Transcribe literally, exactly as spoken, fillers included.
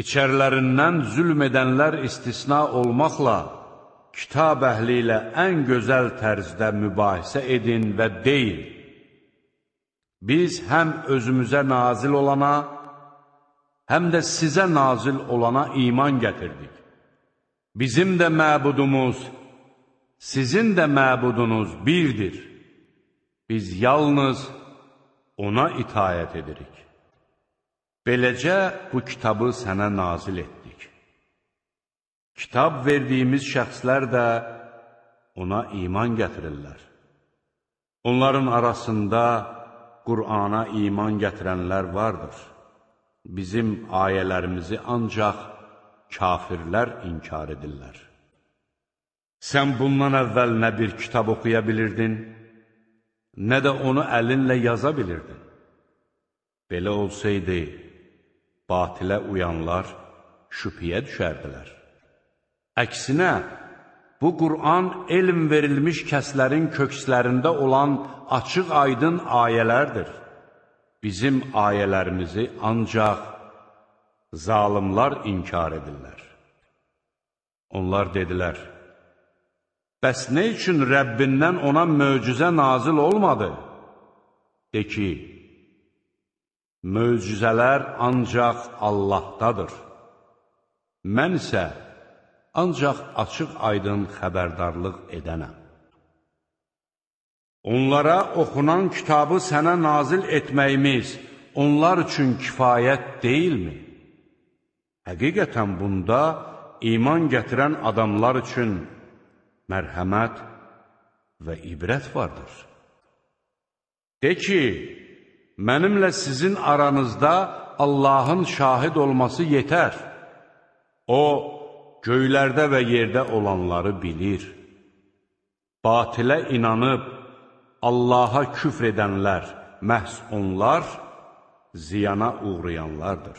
İçərilərindən zülm edənlər istisna olmaqla, kitab əhli ilə ən gözəl tərzdə mübahisə edin və deyin: biz həm özümüzə nazil olana, həm də sizə nazil olana iman gətirdik. Bizim də məbudumuz, sizin də məbudunuz birdir. Biz yalnız ona itayət edirik. Beləcə bu kitabı sənə nazil etdik. Kitab verdiyimiz şəxslər də ona iman gətirirlər. Onların arasında Qur'ana iman gətirənlər vardır. Bizim ayələrimizi ancaq kafirlər inkar edirlər. Sən bundan əvvəl nə bir kitab oxuya bilirdin, nə də onu əlinlə yaza bilirdin. Belə olsaydı, batilə uyanlar şübhəyə düşərdilər. Əksinə, bu Qur'an elm verilmiş kəslərin kökslərində olan açıq-aydın ayələrdir. Bizim ayələrimizi ancaq zalimlar inkar edirlər. Onlar dedilər: bəs nə üçün Rəbbindən ona möcüzə nazil olmadı? De ki, möcüzələr ancaq Allahdadır. Mən isə ancaq açıq-aydın xəbərdarlıq edənəm. Onlara oxunan kitabı sənə nazil etməyimiz onlar üçün kifayət deyilmi? Həqiqətən bunda iman gətirən adamlar üçün mərhəmət və ibrət vardır. De ki, mənimlə sizin aranızda Allahın şahid olması yetər. O, göylərdə və yerdə olanları bilir. Batilə inanıb Allaha küfr edənlər, məhz onlar ziyana uğrayanlardır.